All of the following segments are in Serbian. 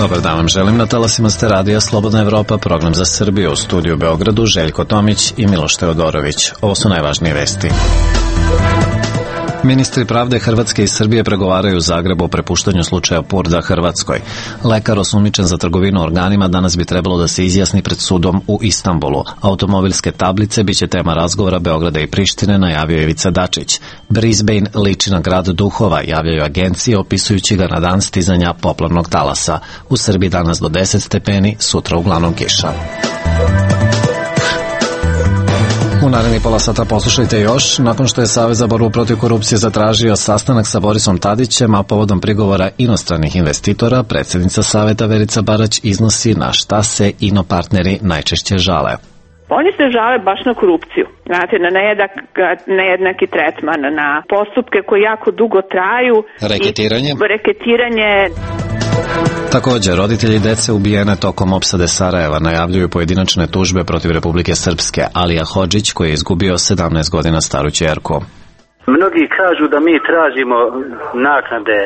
Dobar dan vam želim, na talasima ste radija Slobodna Evropa, program za Srbiju, u studiju u Beogradu Željko Tomić i Miloš Teodorović. Ovo su najvažnije vesti. Ministri pravde Hrvatske i Srbije pregovaraju u Zagrebu o prepuštanju slučaja Purda Hrvatskoj. Lekar osumnjičen za trgovinu organima danas bi trebalo da se izjasni pred sudom u Istanbulu. Automobilske tablice biće tema razgovora Beograda i Prištine, najavio Ivica Dačić. Brisbane liči na grad duhova, javljaju agencije opisujući ga na dan stizanja poplavnog talasa. U Srbiji danas do 10 stepeni, sutra uglavnom kiša. U narednih pola sata poslušajte još. Nakon što je Savez za borbu protiv korupcije zatražio sastanak sa Borisom Tadićem, a povodom prigovora inostranih investitora, predsjednica Saveta Verica Barać iznosi na šta se inopartneri najčešće žale. Oni se žale baš na korupciju, znate, na nejednaki tretman, na postupke koji jako dugo traju. Reketiranje. Također, roditelji dece ubijene tokom opsade Sarajeva najavljuju pojedinačne tužbe protiv Republike Srpske. Alija Hodžić, koji je izgubio 17 godina staru ćerku. Mnogi kažu da mi tražimo naknade,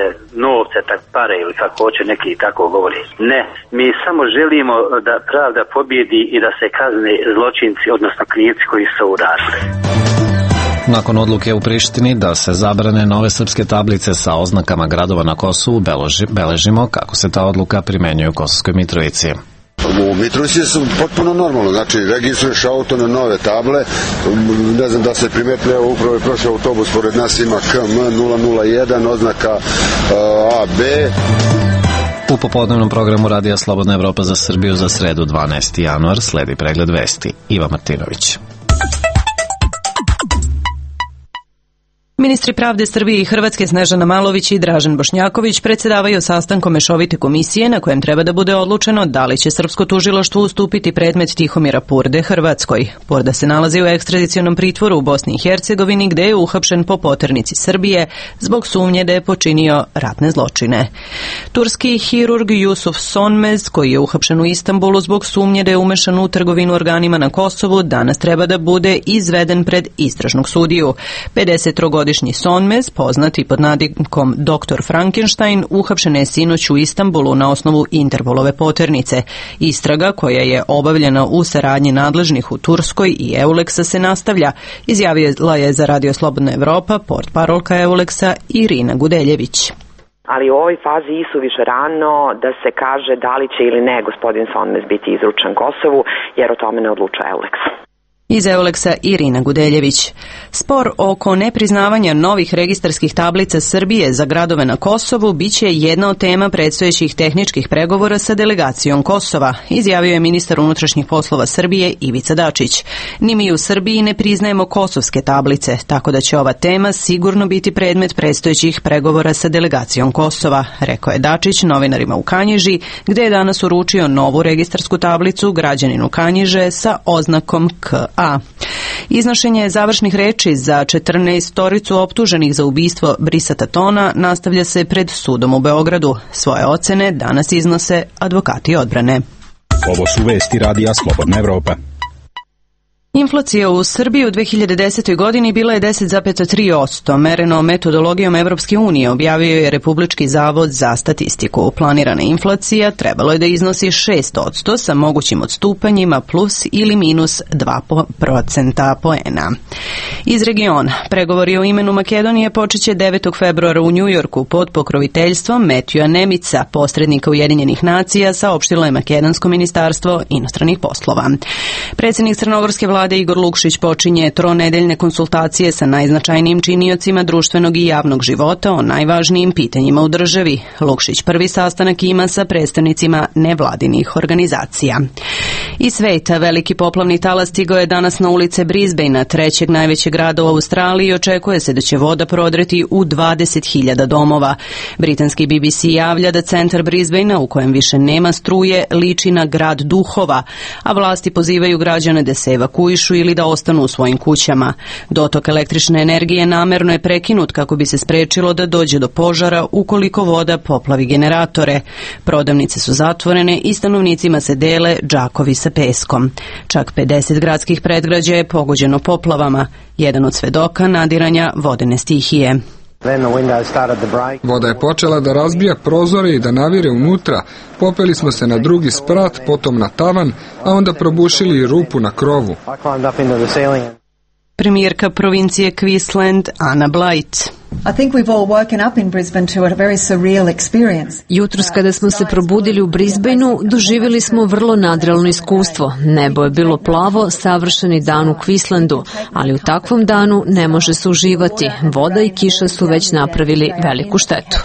novce, pare ili kako hoće neki tako govori. Ne, mi samo želimo da pravda pobjedi i da se kazne zločinci, odnosno krivci koji su uradili. Nakon odluke u Prištini da se zabrane nove srpske tablice sa oznakama gradova na Kosovu, beležimo kako se ta odluka primenjuje u Kosovskoj Mitrovici. U Mitrovici su potpuno normalno, znači registruješ auto na nove table, ne znam da se primetne, upravo je prošao autobus, pored nas ima KM001, oznaka AB. U popodnevnom programu Radija Slobodna Evropa za Srbiju za sredu 12. januar sledi pregled vesti. Iva Martinović. Ministri pravde Srbije i Hrvatske Snežana Malović i Dražen Bošnjaković predsjedavaju sastankom mešovite komisije na kojem treba da bude odlučeno da li će srpsko tužilaštvo ustupiti predmet Tihomira Purde Hrvatskoj. Purda se nalazi u ekstradicionom pritvoru u Bosni i Hercegovini gde je uhapšen po poternici Srbije zbog sumnje da je počinio ratne zločine. Turski hirurg Jusuf Sonmez, koji je uhapšen u Istanbulu zbog sumnje da je umešan u trgovinu organima na Kosovu, danas treba da bude izveden pred istražnog sudiju. 53-godišnji Sonmez, poznati pod nadimkom Dr. Frankenstein, uhapšen je sinoć u Istanbulu na osnovu Interpolove poternice. Istraga, koja je obavljena u saradnji nadležnih u Turskoj i Euleksa, se nastavlja, izjavila je za Radio Slobodna Evropa portparolka Euleksa Irina Gudeljević. Ali u ovoj fazi isuviše rano da se kaže da li će ili ne gospodin Sonmez biti izručen Kosovu, jer o tome ne odlučuje Euleks. Iz Euleksa Irina Gudeljević. Spor oko nepriznavanja novih registarskih tablica Srbije za gradove na Kosovu biće jedna od tema predstojećih tehničkih pregovora sa delegacijom Kosova, izjavio je ministar unutrašnjih poslova Srbije Ivica Dačić. Ni mi u Srbiji ne priznajemo kosovske tablice, tako da će ova tema sigurno biti predmet predstojećih pregovora sa delegacijom Kosova, rekao je Dačić novinarima u Kanjiži, gde je danas uručio novu registarsku tablicu građaninu Kanjiže sa oznakom KA. Iznošenje završnih reči za 14 optuženih za ubistvo Brisa Tatona nastavlja se pred sudom u Beogradu. Svoje ocene danas iznose advokati odbrane. Ovo su vesti Radija Slobodna Evropa. Inflacija u Srbiji u 2010. godini bila je 10,3%, mereno metodologijom Evropske unije, objavio je Republički zavod za statistiku. Planirana inflacija trebalo je da iznosi 6% sa mogućim odstupanjima plus ili minus 2% poena. Iz regiona, pregovori o imenu Makedonije počeće 9. februara u Njujorku pod pokroviteljstvom Metjua Nemica, posrednika Ujedinjenih nacija, saopštilo je Makedonsko ministarstvo inostranih poslova. Predsjednik Crnogorske vlade Igor Lukšić počinje tronedeljne konsultacije sa najznačajnijim činiocima društvenog i javnog života o najvažnijim pitanjima u državi. Lukšić prvi sastanak ima sa predstavnicima nevladinih organizacija. Iz sveta veliki poplavni talas stigao je danas na ulice Brisbanea, trećeg najvećeg grada u Australiji, i očekuje se da će voda prodreti u 20.000 domova. Britanski BBC javlja da centar Brisbanea, u kojem više nema struje, liči na grad duhova, a vlasti pozivaju građane da se evakuišu ili da ostanu u svojim kućama. Dotok električne energije namerno je prekinut kako bi se sprečilo da dođe do požara ukoliko voda poplavi generatore. Prodavnice su zatvorene i stanovnicima se dele džakovi sa peskom. Čak 50 gradskih predgrađa je pogođeno poplavama. Jedan od svedoka nadiranja vodene stihije. Voda je počela da razbija prozore i da navire unutra. Popeli smo se na drugi sprat, potom na tavan, a onda probušili rupu na krovu. Premijerka provincije Queensland Anna Blight. Jutros kada smo se probudili u Brisbaneu, doživjeli smo vrlo nadrealno iskustvo. Nebo je bilo plavo, savršeni dan u Queenslandu, ali u takvom danu ne može se uživati. Voda i kiša su već napravili veliku štetu.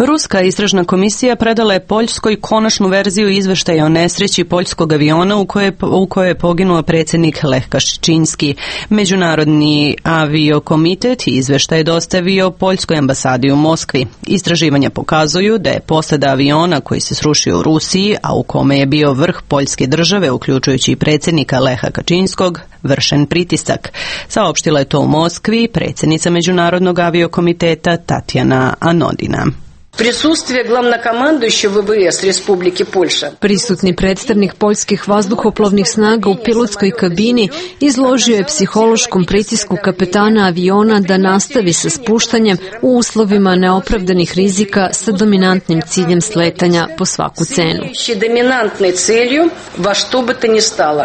Ruska istražna komisija predala je Poljskoj konačnu verziju izveštaja o nesreći poljskog aviona u kojoj je poginuo predsjednik Lech Kaczyński. Međunarodni aviokomitet izveštaj je dostavio Poljskoj ambasadi u Moskvi. Istraživanja pokazuju da je posada aviona koji se srušio u Rusiji, a u kome je bio vrh poljske države, uključujući i predsjednika Leha Kaczynskog, vršen pritisak. Saopštila je to u Moskvi predsjednica Međunarodnog aviokomiteta Tatjana Anodina. Присутствие главнокомандующего ВВС Республики Польша. Prisutni predstavnik poljskih vazduhoplovnih snaga u pilotskoj kabini izložio je psihološkom pritisku kapetana aviona da nastavi sa spuštanjem u uslovima neopravdanih rizika sa dominantnim ciljem sletanja po svaku cenu. Dominantnoj cilju, va što bi to ni stalo.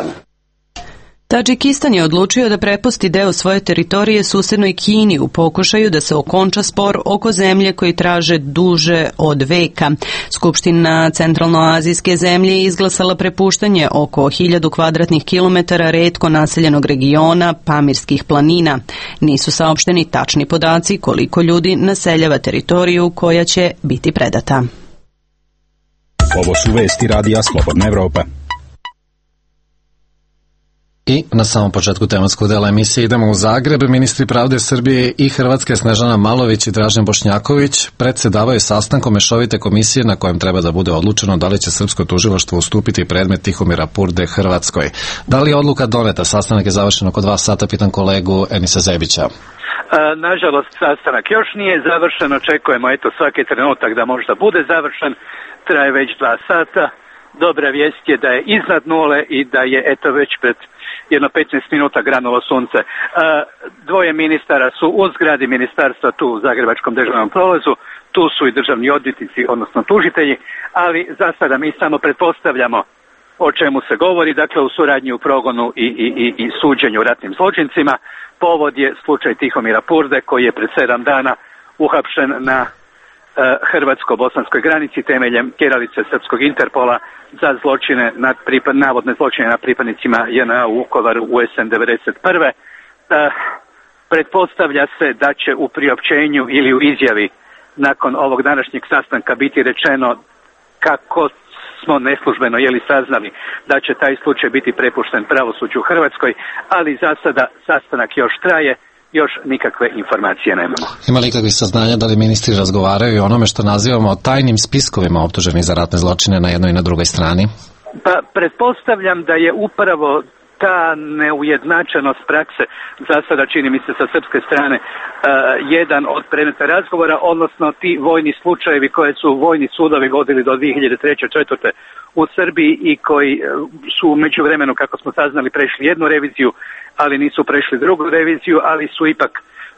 Tadžikistan je odlučio da prepusti deo svoje teritorije susednoj Kini u pokušaju da se okonča spor oko zemlje koji traže duže od veka. Skupština centralnoazijske zemlje je izglasala prepuštanje oko 1000 kvadratnih kilometara retko naseljenog regiona Pamirskih planina. Nisu saopšteni tačni podaci koliko ljudi naseljava teritoriju koja će biti predata. Ovo su vesti radija Slobodna Evropa. I na samom početku tematskog dela emisije idemo u Zagreb. Ministri pravde Srbije i Hrvatske Snežana Malović i Dražen Bošnjaković predsedavaju sastankom mešovite komisije na kojem treba da bude odlučeno da li će srpsko tužilaštvo ustupiti predmet Tihomira Purde Hrvatskoj. Da li je odluka doneta? Sastanak je završen oko 2 sata, pitam kolegu Enisa Zebića. Nažalost, sastanak još nije završen, očekujemo svaki trenutak da možda bude završen, traje već 2 sata. Dobra vijest je da je iznad nule i da je već pred jedno 15 minuta granulo sunce. Dvoje ministara su u zgradi ministarstva tu u Zagrebačkom državnom prolazu, tu su i državni odvjetnici, odnosno tužitelji, ali za sada mi samo pretpostavljamo o čemu se govori, dakle u suradnji u progonu i suđenju ratnim zločincima. Povod je slučaj Tihomira Purde koji je pred 7 dana uhapšen na hrvatsko-bosanskoj granici temeljem tjeralice srpskog Interpola za zločine navodne zločine nad pripadnicima JNA u Vukovaru u jesen 1991. Pretpostavlja se da će u priopćenju ili u izjavi nakon ovog današnjeg sastanka biti rečeno kako smo neslužbeno saznali da će taj slučaj biti prepušten pravosuđu u Hrvatskoj, ali za sada sastanak još traje. Još nikakve informacije nemamo. Ima li kakvih saznanja da li ministri razgovaraju i onome što nazivamo tajnim spiskovima optuženih za ratne zločine na jednoj i na drugoj strani? Pa pretpostavljam da je upravo ta neujednačenost prakse za sada, čini mi se sa srpske strane, jedan od predmeta razgovora, odnosno ti vojni slučajevi koje su vojni sudovi vodili do 2003-2004. u Srbiji i koji su u međuvremenu, kako smo saznali, prešli jednu reviziju, ali nisu prešli drugu reviziju, ali su ipak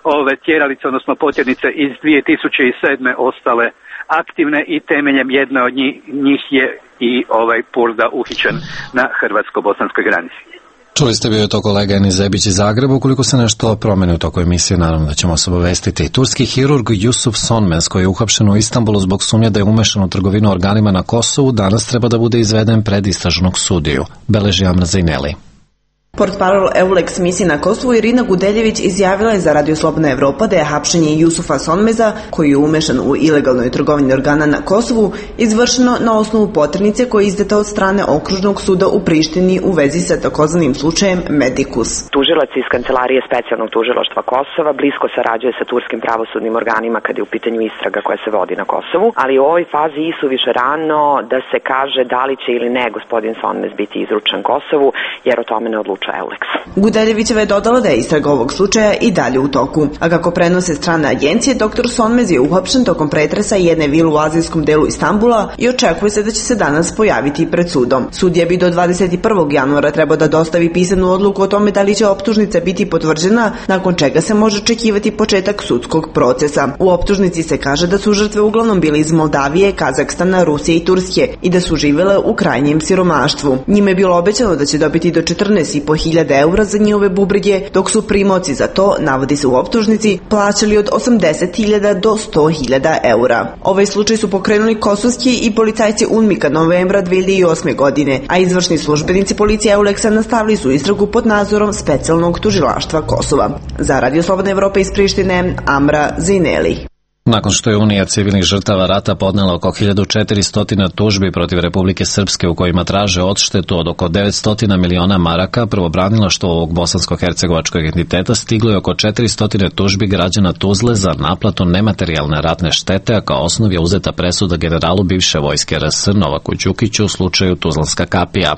ove tjeralice, odnosno potjernice iz 2007. ostale aktivne i temeljem jedne od njih je i Purda uhićen na hrvatsko-bosanskoj granici. Čuli ste, bio je to kolega Enis Zebić iz Zagreba. Ukoliko se nešto promeni u toku emisije, naravno da ćemo se obavestiti. Turski hirurg Yusuf Sonmez, koji je uhapšen u Istanbulu zbog sumnje da je umešan u trgovinu organima na Kosovu, danas treba da bude izveden pred istražnog sudiju. Beleži Amr Zaineli. Portparol EULEX misije na Kosovu Irina Gudeljević izjavila je za Radio Slobodna Evropa da je hapšenje Jusufa Sonmeza, koji je umešan u ilegalnoj trgovini organa na Kosovu, izvršeno na osnovu poternice koja je izdata od strane Okružnog suda u Prištini u vezi sa takozvanim slučajem Medikus. Tužilac iz Kancelarije specijalnog tužilaštva Kosova blisko sarađuje sa turskim pravosudnim organima kad je u pitanju istraga koja se vodi na Kosovu, ali u ovoj fazi isuviše rano da se kaže da li će ili ne gospodin Sonmez biti izručen Kosovu, jer o tome ne odlučuje odlučuje Eulex. Gudeljevićeva je dodala da je istraga ovog slučaja i dalje u toku. A kako prenose strane agencije, dr. Sonmez je uhapšen tokom pretresa jedne vile u azijskom delu Istambula i očekuje se da će se danas pojaviti pred sudom. Sudija bi do 21. januara trebao da dostavi pisanu odluku o tome da li će optužnica biti potvrđena, nakon čega se može očekivati početak sudskog procesa. U optužnici se kaže da su žrtve uglavnom bile iz Moldavije, Kazahstana, Rusije i Turske i da su živele u krajnjem siromaštvu. Njime je bilo obećano da će dobiti do 14.500 eura za njihove bubrege, dok su primaoci za to, navodi se u optužnici, plaćali od 80.000 do 100.000 eura. Ovaj slučaj su pokrenuli kosovski i policajci UNMIK-a novembra 2008. godine, a izvršni službenici policije Euleksa nastavili su istragu pod nadzorom specijalnog tužilaštva Kosova. Za Radio Slobodna Evropa iz Prištine, Amra Zineli. Nakon što je Unija civilnih žrtava rata podnela oko 1400 tužbi protiv Republike Srpske u kojima traže odštetu od oko 900 miliona maraka, pravobranilaštvo ovog bosansko-hercegovačkog entiteta stiglo je oko 400 tužbi građana Tuzle za naplatu nematerijalne ratne štete, a kao osnov je uzeta presuda generalu bivše vojske RS Novaku Đukiću u slučaju Tuzlanska kapija.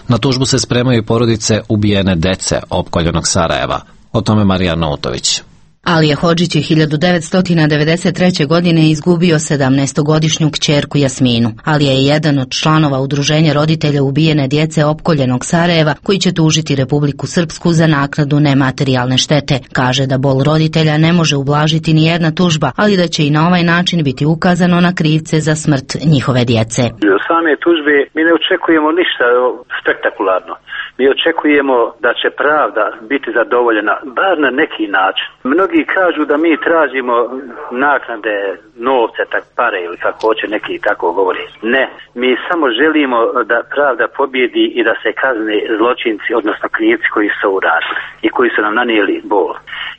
Na tužbu se spremaju i porodice ubijene dece opkoljenog Sarajeva. O tome Marija Nautović. Alija Hodžić je 1993. godine izgubio 17-godišnju kćerku Jasminu. Alija je jedan od članova udruženja roditelja ubijene djece opkoljenog Sarajeva koji će tužiti Republiku Srpsku za naknadu nematerijalne štete. Kaže da bol roditelja ne može ublažiti ni jedna tužba, ali da će i na ovaj način biti ukazano na krivce za smrt njihove djece. Same tužbe mi ne očekujemo ništa spektakularno. Mi očekujemo da će pravda biti zadovoljena, bar na neki način. Mnogi kažu da mi tražimo naknade, novce, pare ili kako hoće neki tako govori. Ne, mi samo želimo da pravda pobjedi i da se kazne zločinci, odnosno krivci koji su uradili i koji su nam nanijeli bol.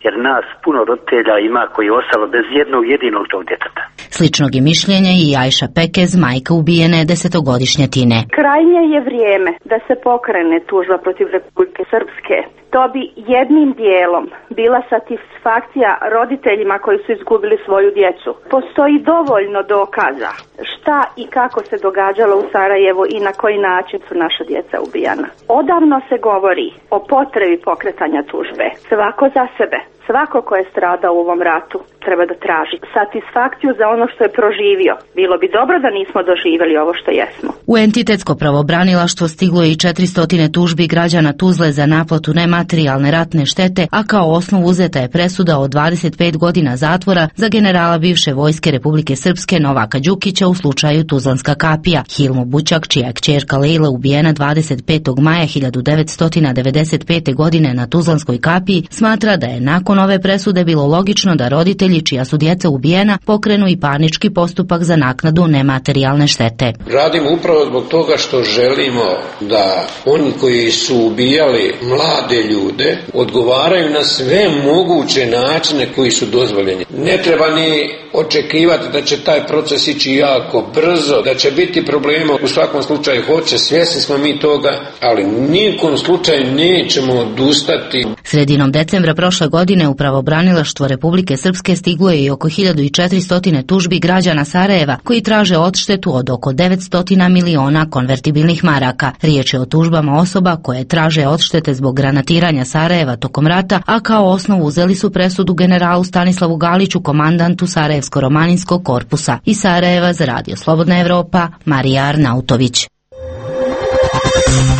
Jer nas puno roditelja ima koji je ostalo bez jednog jedinog tog djeteta. Sličnog je mišljenja i Ajša Pekez, majka ubijene 10-godišnje Tine. Krajnje je vrijeme da se pokrene tužba protiv Republike Srpske. To bi jednim dijelom bila satisfakcija roditeljima koji su izgubili svoju djecu. Postoji dovoljno dokaza šta i kako se događalo u Sarajevu i na koji način su naša djeca ubijana. Odavno se govori o potrebi pokretanja tužbe. Svako za sebe. Svako ko je stradao u ovom ratu treba da traži satisfakciju za ono što je proživio. Bilo bi dobro da nismo doživjeli ovo što jesmo. U entitetsko pravobranilaštvo stiglo je i 400 tužbi građana Tuzle za naplatu nematerijalne ratne štete, a kao osnov uzeta je presuda od 25 godina zatvora za generala bivše vojske Republike Srpske Novaka Đukića u slučaju Tuzlanska kapija. Hilmo Bućak, čija je kćerka Lejla ubijena 25. maja 1995. godine na Tuzlanskoj kapiji, smatra da je nakon ove presude bilo logično da roditelji čija su djeca ubijena pokrenu i parnički postupak za naknadu nematerijalne štete. Radimo upravo zbog toga što želimo da oni koji su ubijali mlade ljude odgovaraju na sve moguće načine koji su dozvoljeni. Ne treba ni očekivati da će taj proces ići jako brzo, da će biti problema, u svakom slučaju hoće, svjesni smo mi toga, ali nijekom slučaju nećemo odustati. Sredinom decembra prošle godine u pravobranilaštvo Republike Srpske stiglo je i oko 1400 tužbi građana Sarajeva koji traže odštetu od oko 900 miliona konvertibilnih maraka. Riječ je o tužbama osoba koje traže odštete zbog granatiranja Sarajeva tokom rata, a kao osnovu uzeli su presudu generalu Stanislavu Galiću, komandantu Sarajevsko-romaninskog korpusa. Iz Sarajeva za Radio Slobodna Evropa, Marija Arnautović.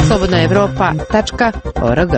slobodnaevropa.org.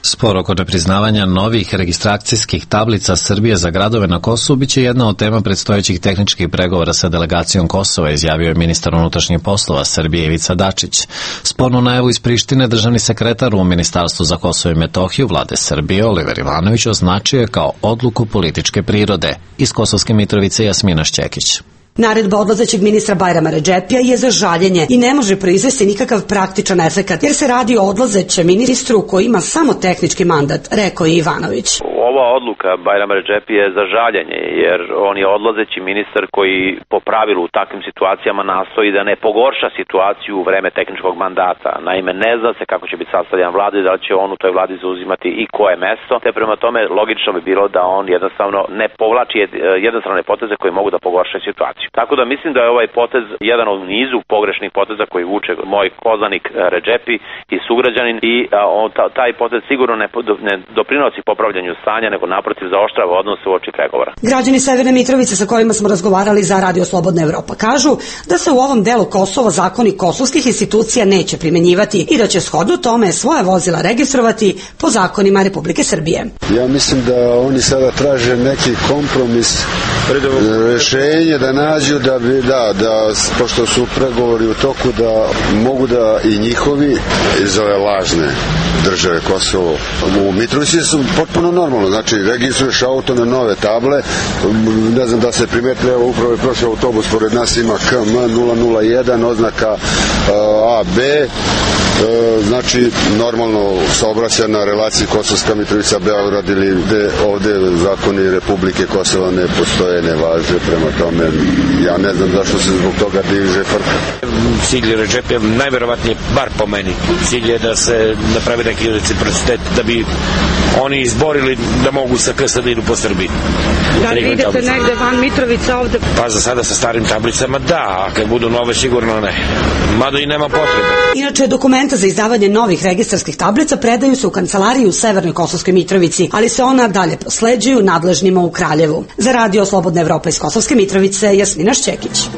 Spor oko nepriznavanja novih registracijskih tablica Srbije za gradove na Kosovu biće jedna od tema predstojećih tehničkih pregovora sa delegacijom Kosova, izjavio je ministar unutrašnjih poslova Srbije Ivica Dačić. Spornu najavu iz Prištine državni sekretar u Ministarstvu za Kosovo i Metohiju vlade Srbije Oliver Ivanović označio je kao odluku političke prirode. Iz Kosovske Mitrovice Jasmina Šćekić. Naredba odlazećeg ministra Bajrama Redžepija je za žaljenje i ne može proizvesti nikakav praktičan efekat, jer se radi o odlazećem ministru koji ima samo tehnički mandat, rekao je Ivanović. ova odluka Bajrama Redžepi je za žaljenje, jer on je odlazeći ministar koji po pravilu u takvim situacijama nastoji da ne pogorša situaciju u vreme tehničkog mandata. Naime, ne zna se kako će biti sastavljan vlada i da li će on u toj vladi zauzimati i koje mesto, te prema tome logično bi bilo da on jednostavno ne povlači jednostrane poteze koji mogu da pogoršaju situaciju. Tako da mislim da je ovaj potez jedan od nizu pogrešnih poteza koji vuče moj poznanik Redžepi i sugrađanin i taj potez sigurno ne doprinosi popravljanju stanja, nego naprotiv zaoštrava odnose uoči pregovora. Građani Severne Mitrovice sa kojima smo razgovarali za Radio Slobodna Evropa kažu da se u ovom delu Kosova zakoni kosovskih institucija neće primenjivati i da će shodno tome svoje vozila registrovati po zakonima Republike Srbije. Ja mislim da oni sada traže neki kompromis, rešenje da nađu da pošto su pregovori u toku da mogu da i njihovi iz ove lažne države Kosovo u Mitrovici su potpuno normalno, znači registruješ auto na nove table, ne znam da se primetili, evo upravo je prošao autobus pored nas, ima KM 001 oznaka AB, znači normalno saobraća na relaciji Kosovska Mitrovica Beograd ili ovde zakoni Republike Kosova ne postoje, ne važe, prema tome ja ne znam zašto se zbog toga diže frka. Cilj Redžepija najverovatnije, bar po meni, cilj je da se napravi neki reciprocitet da bi oni izborili da mogu sa KS da idu po Srbiji. Da li idete negde van Mitrovica ovde? Pa za sada sa starim tablicama da, a kad budu nove sigurno ne. Mada i nema potrebe. Inače, dokumenta za izdavanje novih registarskih tablica predaju se u kancelariji u Severnoj Kosovskoj Mitrovici, ali se ona dalje prosleđuju nadležnima u Kraljevu. Za Radio Slobodna Evropa iz Kosovske Mitrovice, Jasmina Šćekić.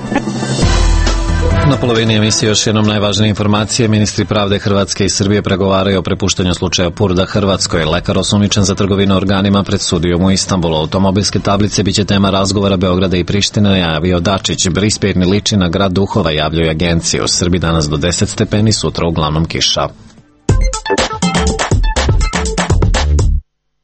Na polovini emisije još jednom najvažnije informacije. Ministri pravde Hrvatske i Srbije pregovaraju o prepuštanju slučaja Purda Hrvatskoj. Lekar osumnjičen za trgovinu organima pred sudijom u Istanbulu. Automobilske tablice biće tema razgovora Beograda i Prištine, javio Dačić. Brisbane liči na grad duhova, javljaju agencije. U Srbiji danas do 10 stepeni, sutra uglavnom kiša.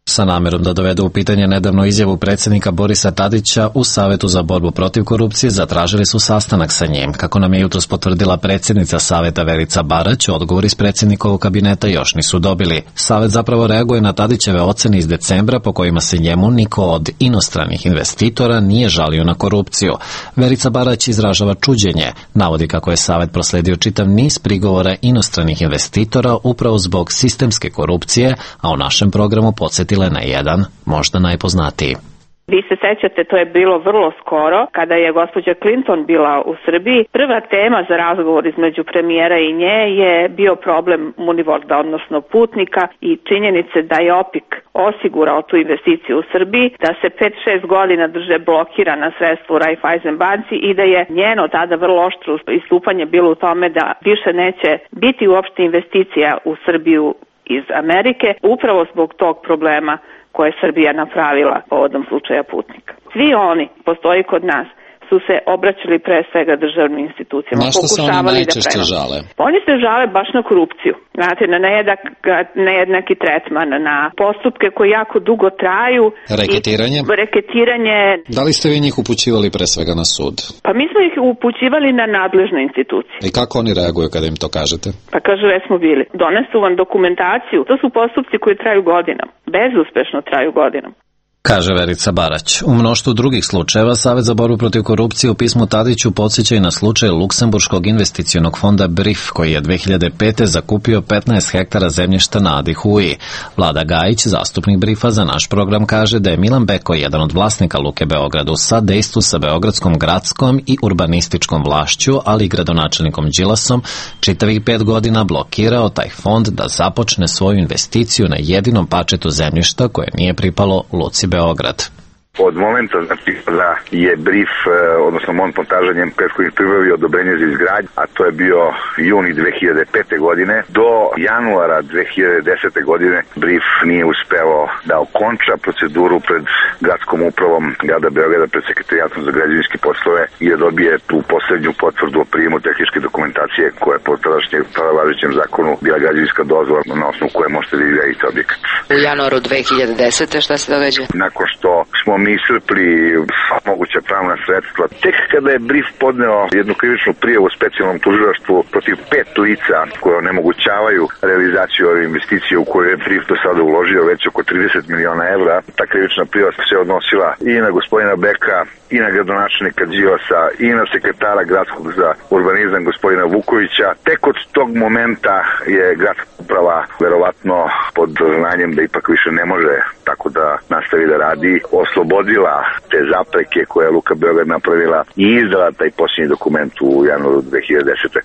Sa namerom da dovedu u pitanje nedavno izjavu predsjednika Borisa Tadića u Savetu za borbu protiv korupcije zatražili su sastanak sa njim. Kako nam je jutros potvrdila predsjednica Saveta Verica Barać, odgovor iz predsjednikovog kabineta još nisu dobili. Savet zapravo reaguje na Tadićeve ocene iz decembra po kojima se njemu niko od inostranih investitora nije žalio na korupciju. Verica Barać izražava čuđenje, navodi kako je Savet prosledio čitav niz prigovora inostranih investitora upravo zbog sistemske korupcije, a u našem programu podsjetila na jedan, možda najpoznatiji. Vi se sećate, to je bilo vrlo skoro, kada je gospođa Clinton bila u Srbiji. Prva tema za razgovor između premijera i nje je bio problem Munivorda, odnosno putnika, i činjenice da je OPIK osigurao tu investiciju u Srbiji, da se 5-6 godina drže blokirana sredstva u Raiffeisen banci i da je njeno tada vrlo oštro istupanje bilo u tome da više neće biti uopšte investicija u Srbiju iz Amerike, upravo zbog tog problema koje je Srbija napravila povodom slučaja Putnika. Svi oni, postoji kod nas, su se obraćali pre svega državnim institucijama. Na što se oni najčešće žale? Oni se žale baš na korupciju. Znate, na nejednaki tretman, na postupke koji jako dugo traju. Reketiranje? Da li ste vi njih upućivali pre svega na sud? Pa mi smo ih upućivali na nadležne institucije. I kako oni reaguju kada im to kažete? Pa kažu, smo bili. Donesu vam dokumentaciju. To su postupci koji traju godinama. Bezuspešno traju godinama. Kaže Verica Barać. U mnoštvu drugih slučajeva Savet za borbu protiv korupcije u pismu Tadiću podsjeća i na slučaj Luksemburškog investicionog fonda BRIF, koji je 2005. zakupio 15 hektara zemljišta na Adi Huji. Vlada Gajić, zastupnik BRIF-a za naš program, kaže da je Milan Beko, jedan od vlasnika Luke Beograd, u sadejstvu sa Beogradskom gradskom i urbanističkom vlašću, ali i gradonačelnikom Đilasom, čitavih 5 godina blokirao taj fond da započne svoju investiciju na jedinom parčetu zemljišta koje nije pripalo Luci Beograd. Od momenta da je BRIF, odnosno montaža njem prethodnih pribavio odobrenje za izgradnju, a to je bio juni 2005. godine, do januara 2010. godine BRIF nije uspeo da okonča proceduru pred gradskom upravom grada Beograda, pred sekretarijatom za građevinske poslove i da dobije tu poslednju potvrdu o prijemu tehničke dokumentacije koja je po tada važećem zakonu bila građevinska dozvola na osnovu koje možete da izgradite objekat. U januaru 2010. šta se događa? Nakon što smo mi iscrpli moguća pravna sredstva. Tek kada je BRIF podneo jednu krivičnu prijavu specijalnom tužilaštvu protiv 5 lica koje onemogućavaju realizaciju ove investicije u koju je BRIF do sada uložio već oko 30 miliona evra, ta krivična prijava se odnosila i na gospodina Beka, i na gradonačelnika Đilasa, i na sekretara gradskog za urbanizam gospodina Vukovića. Tek od tog momenta je gradska uprava verovatno pod znanjem da ipak više ne može tako da nastavi da radi, oslobodila te zapreke koje je Luka Beograd napravila i izdala taj posljednji dokument u januaru 2010.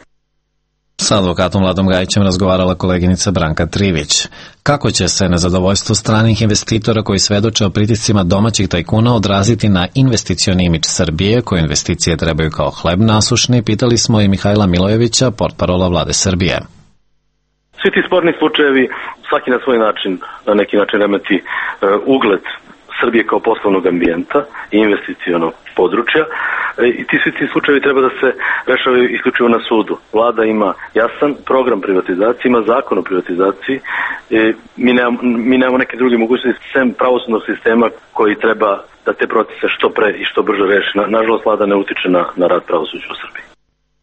Sa advokatom Vladom Gajićem razgovarala koleginica Branka Trivić. Kako će se nezadovoljstvo stranih investitora koji svedoče o pritiscima domaćih tajkuna odraziti na investicioni imidž Srbije, koje investicije trebaju kao hleb nasušni, pitali smo i Mihajla Milojevića, portparola Vlade Srbije. Svi ti sporni slučajevi, svaki na svoj način, na neki način remeti ugled Srbije kao poslovnog ambijenta i investicionog područja. I svi ti slučajevi treba da se rešavaju isključivo na sudu. Vlada ima jasan program privatizacije, ima zakon o privatizaciji. Mi nemamo neke druge mogućnosti sem pravosudnog sistema koji treba da te procese što pre i što brže reši. Nažalost, Vlada ne utiče na rad pravosuđa u Srbiji.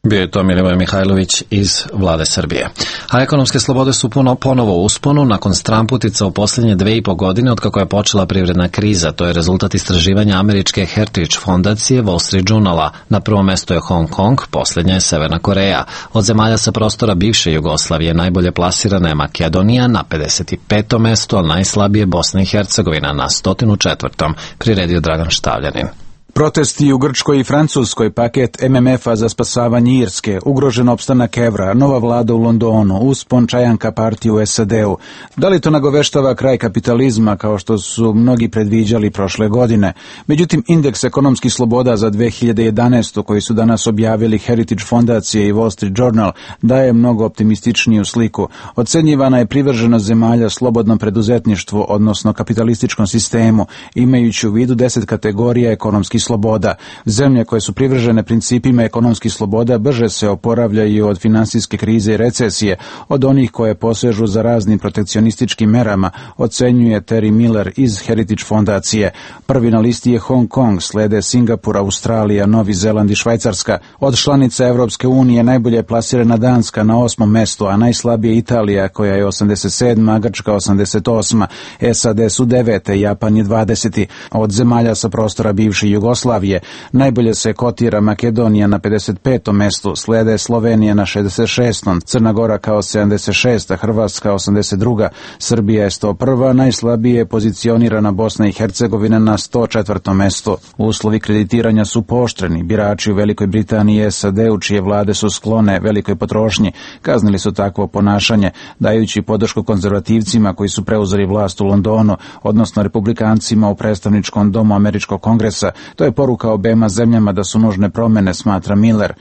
Bio je to Milivoj Mihajlović iz Vlade Srbije. A ekonomske slobode su ponovo u usponu nakon stramputica u posljednje 2,5 godine od kako je počela privredna kriza. To je rezultat istraživanja američke Heritage fondacije Wall Street Journala. Na prvom mestu je Hong Kong, posljednja je Severna Koreja. Od zemalja sa prostora bivše Jugoslavije najbolje plasirana je Makedonija na 55. mestu, a najslabije Bosna i Hercegovina na 104. priredio Dragan Štavljanin. Protesti u Grčkoj i Francuskoj, paket MMF-a za spasavanje Irske, ugrožen opstanak evra, nova vlada u Londonu, uspon čajanka partije u SAD-u. Da li to nagoveštava kraj kapitalizma, kao što su mnogi predviđali prošle godine? Međutim, indeks ekonomskih sloboda za 2011. koji su danas objavili Heritage fondacije i Wall Street Journal daje mnogo optimističniju sliku. Ocenjivana je privrženost zemalja slobodnom preduzetništvu, odnosno kapitalističkom sistemu, imajući u vidu 10 kategorija ekonomskih sloboda. Zemlje koje su privržene principima ekonomskih sloboda brže se oporavljaju od finansijske krize i recesije, od onih koje posežu za raznim protekcionističkim merama, ocenjuje Terry Miller iz Heritage fondacije. Prvi na listi je Hong Kong, slede Singapur, Australija, Novi Zeland i Švajcarska. Od članica Evropske unije najbolje je plasirana Danska na 8. mestu, a najslabije Italija koja je 87. a Grčka 88. SAD su 9. Japan je 20. Od zemalja sa prostora bivše Jugoslavije najbolje se kotira Makedonija na 55. mestu, slede Slovenija na 66. Crna Gora kao 76. Hrvatska 82. Srbija je 101. Najslabije je pozicionirana Bosna i Hercegovina na 104. mestu. Uslovi kreditiranja su pooštreni. Birači u Velikoj Britaniji i SAD-u, čije vlade su sklone velikoj potrošnji, kaznili su takvo ponašanje, dajući podršku konzervativcima koji su preuzeli vlast u Londonu, odnosno republikancima u predstavničkom domu Američkog kongresa. To je poruka obema zemljama da su nužne promjene, smatra Miller.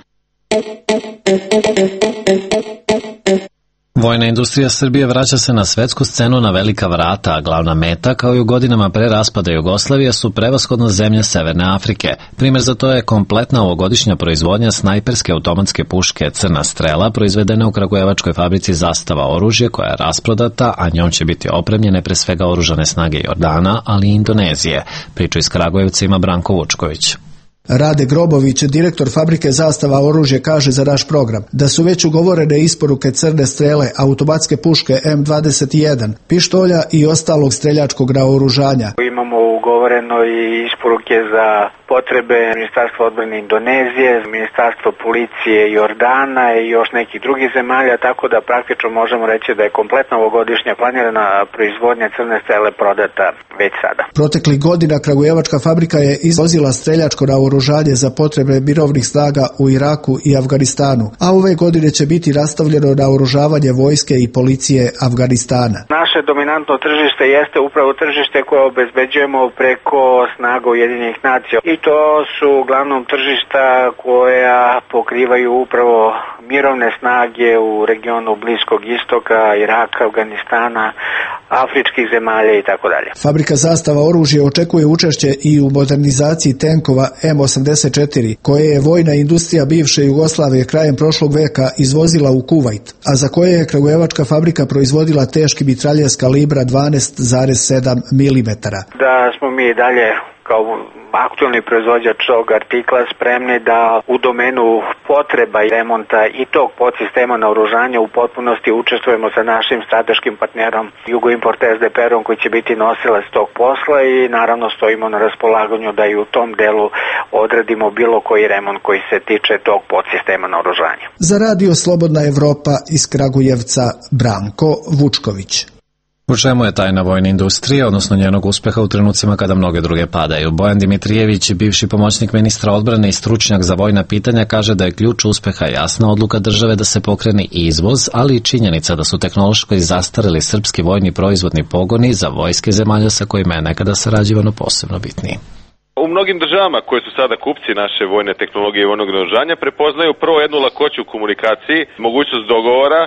Vojna industrija Srbije vraća se na svetsku scenu na velika vrata, a glavna meta, kao i u godinama pre raspada Jugoslavije, su prevashodno zemlje Severne Afrike. Primjer za to je kompletna ovogodišnja proizvodnja snajperske automatske puške Crna strela, proizvedena u kragujevačkoj fabrici Zastava oružje, koja je rasprodata, a njom će biti opremljene pre svega oružane snage Jordana, ali i Indonezije. Priču iz Kragujevca ima Branko Vučković. Rade Grobović, direktor fabrike Zastava oružje, kaže za naš program da su već ugovorene isporuke crne strele, automatske puške M21, pištolja i ostalog streljačkog naoružanja. Imamo ugovoreno i isporuke za potrebe Ministarstva odbrane Indonezije, Ministarstvo policije Jordana i još nekih drugih zemalja, tako da praktično možemo reći da je kompletna ovogodišnja planirana proizvodnja crne strele prodata već sada. Proteklih godina kragujevačka fabrika je izvozila streljačko naoružanje za potrebe mirovnih snaga u Iraku i Afganistanu, a ove godine će biti nastavljeno naoružavanje vojske i policije Afganistana. Naše dominantno tržište jeste upravo tržište koje obezbeđujemo preko snaga Ujedinjenih nacija i to su uglavnom tržišta koja pokrivaju upravo mirovne snage u regionu Bliskog istoka, Iraka, Afganistana, afričkih zemalja i tako dalje. Fabrika Zastava oružje očekuje učešće i u modernizaciji tenkova M84, koje je vojna industrija bivše Jugoslavije krajem prošlog veka izvozila u Kuvajt, a za koje je kragujevačka fabrika proizvodila teški mitraljez kalibra 12,7 mm. Da smo mi dalje kao aktualni proizvođač tog artikla spremni da u domenu potreba i remonta i tog podsistema naoružanja u potpunosti učestvujemo sa našim strateškim partnerom Jugoimport SDPR-om koji će biti nosilac tog posla i naravno stojimo na raspolaganju da i u tom delu odradimo bilo koji remont koji se tiče tog podsistema naoružanja. Za Radio Slobodna Evropa iz Kragujevca Branko Vučković. U čemu je tajna vojne industrije, odnosno njenog uspeha u trenucima kada mnoge druge padaju? Bojan Dimitrijević, bivši pomoćnik ministra odbrane i stručnjak za vojna pitanja, kaže da je ključ uspeha jasna odluka države da se pokrene izvoz, ali i činjenica da su tehnološko zastareli srpski vojni proizvodni pogoni za vojske zemalja sa kojima je nekada sarađivano posebno bitniji. U mnogim državama koje su sada kupci naše vojne tehnologije i vojnog naoružanja prepoznaju prvo jednu lakoću u komunikaciji, mogućnost dogovora,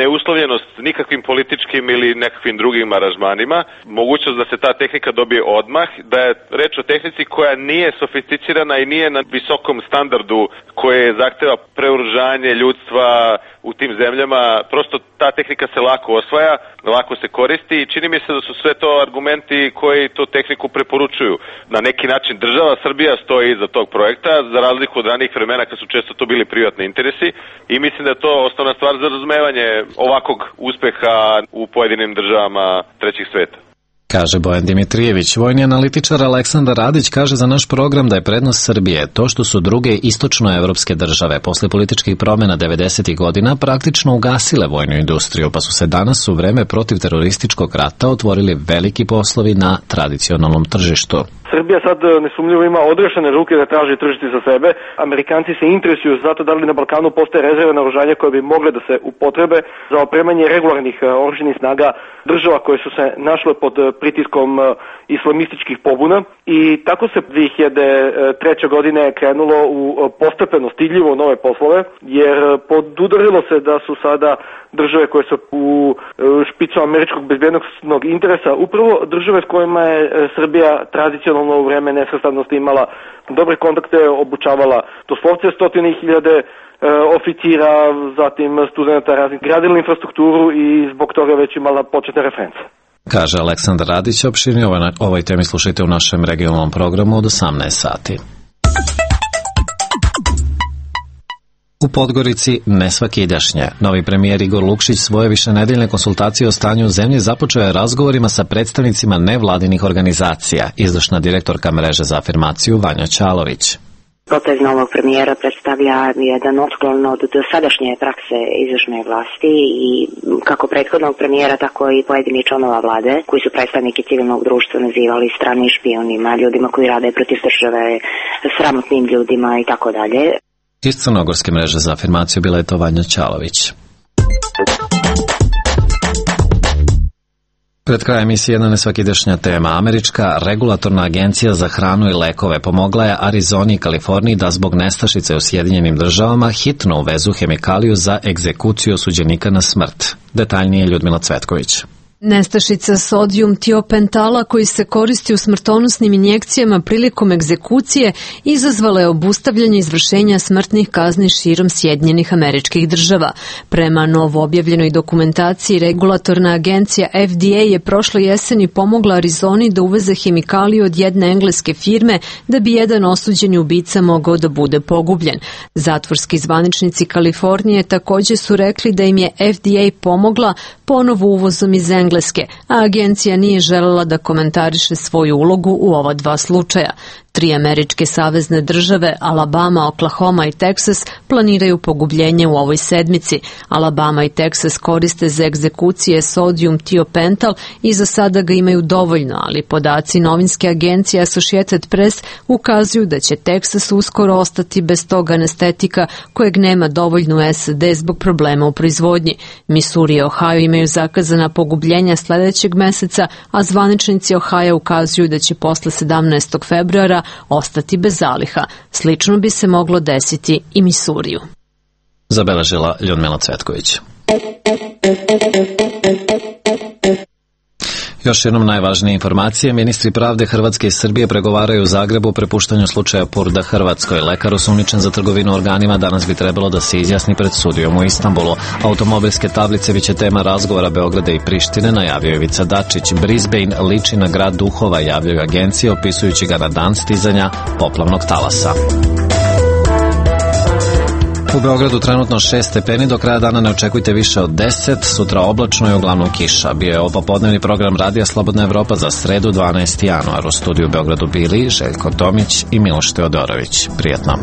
neuslovljenost nikakvim političkim ili nekakvim drugim aranžmanima, mogućnost da se ta tehnika dobije odmah, da je reč o tehnici koja nije sofisticirana i nije na visokom standardu koje zahteva preoružanje ljudstva u tim zemljama. Prosto ta tehnika se lako osvaja, lako se koristi i čini mi se da su sve to argumenti koji tu tehniku preporučuju. Na neki način država Srbija stoji iza tog projekta, za razliku od ranijih vremena kad su često to bili privatni interesi i mislim da je to osnovna stvar za razumevanje ovakvog uspeha u pojedinim državama trećih sveta. Kaže Bojan Dimitrijević. Vojni analitičar Aleksandar Radić kaže za naš program da je prednost Srbije to što su druge istočnoevropske države posle političkih promjena 90. godina praktično ugasile vojnu industriju, pa su se danas u vreme protiv terorističkog rata otvorili veliki poslovi na tradicionalnom tržištu. Srbija sad nesumnjivo ima odrešene ruke da traži tržište za sebe. Amerikanci se interesuju zato da li na Balkanu postoje rezerve naoružanja koje bi mogle da se upotrebe za opremanje regularnih oružanih snaga država koje su se našle pod pritiskom islamističkih pobuna i tako se 2003. godine krenulo u postepeno stidljivo nove poslove, jer podudarilo se da su sada države koje su u špicu američkog bezbjednosnog interesa upravo države s kojima je Srbija tradicionalno u vreme nesvrstanosti imala dobre kontakte, obučavala doslovce 100.000 oficira, zatim studenta raznih, gradila infrastrukturu i zbog toga već imala početne reference. Kaže Aleksandar Radić. Opširnije ovoj temi slušajte u našem regionalnom programu od 18 sati. U Podgorici nesvakidašnje. Novi premijer Igor Lukšić svoje višenedeljne konsultacije o stanju u zemlji započeo je razgovorima sa predstavnicima nevladinih organizacija, izvršna direktorka mreže za afirmaciju Vanja Ćalović. Potez novog premijera predstavlja jedan otklon od dosadašnje prakse izvršne vlasti i kako prethodnog premijera, tako i pojedini članova vlade koji su predstavniki civilnog društva nazivali stranim špionima, ljudima koji rade protiv države, sramotnim ljudima i tako dalje. Iz crnogorske mreže za afirmaciju bila je to Vanja Ćalović. Pred krajem emisije jedna nesvakidašnja tema. Američka regulatorna agencija za hranu i lekove pomogla je Arizoni i Kaliforniji da zbog nestašice u Sjedinjenim državama hitno uvezu hemikaliju za egzekuciju osuđenika na smrt. Detaljnije Ljudmila Cvetković. Nestašica sodijum tiopentala koji se koristi u smrtonosnim injekcijama prilikom egzekucije izazvala je obustavljanje izvršenja smrtnih kazni širom Sjedinjenih Američkih Država. Prema novo objavljenoj dokumentaciji, regulatorna agencija FDA je prošle jeseni pomogla Arizoni da uveze hemikaliju od jedne engleske firme da bi jedan osuđeni ubica mogao da bude pogubljen. Zatvorski zvaničnici Kalifornije također su rekli da im je FDA pomogla ponovo uvozom iz Engleske, a agencija nije želela da komentariše svoju ulogu u ova dva slučaja. 3 američke savezne države, Alabama, Oklahoma i Teksas, planiraju pogubljenje u ovoj sedmici. Alabama i Teksas koriste za egzekucije sodijum tiopental i za sada ga imaju dovoljno, ali podaci novinske agencije Associated Press ukazuju da će Teksas uskoro ostati bez tog anestetika kojeg nema dovoljno u SAD zbog problema u proizvodnji. Missouri i Ohio imaju zakazana pogubljenja sljedećeg meseca, a zvaničnici Ohio ukazuju da će posle 17. februara ostati bez zaliha. Slično bi se moglo desiti i Missouriju. Zabeležila Ljudmila Cvetković. Još jednom najvažnije informacije. Ministri pravde Hrvatske i Srbije pregovaraju u Zagrebu o prepuštanju slučaja Purda Hrvatskoj. Lekar osumnjičen za trgovinu organima danas bi trebalo da se izjasni pred sudijom u Istanbulu. Automobilske tablice biće tema razgovora Beograda i Prištine, najavio je Ivica Dačić. Brisbane liči na grad duhova, javljaju agencije, opisujući ga na dan stizanja poplavnog talasa. U Beogradu trenutno 6 stepeni, do kraja dana ne očekujte više od 10, sutra oblačno i uglavnom kiša. Bio je ovo popodnevni program Radija Slobodna Evropa za sredu 12. januar. U studiju u Beogradu bili Željko Tomić i Miloš Teodorović. Prijatno.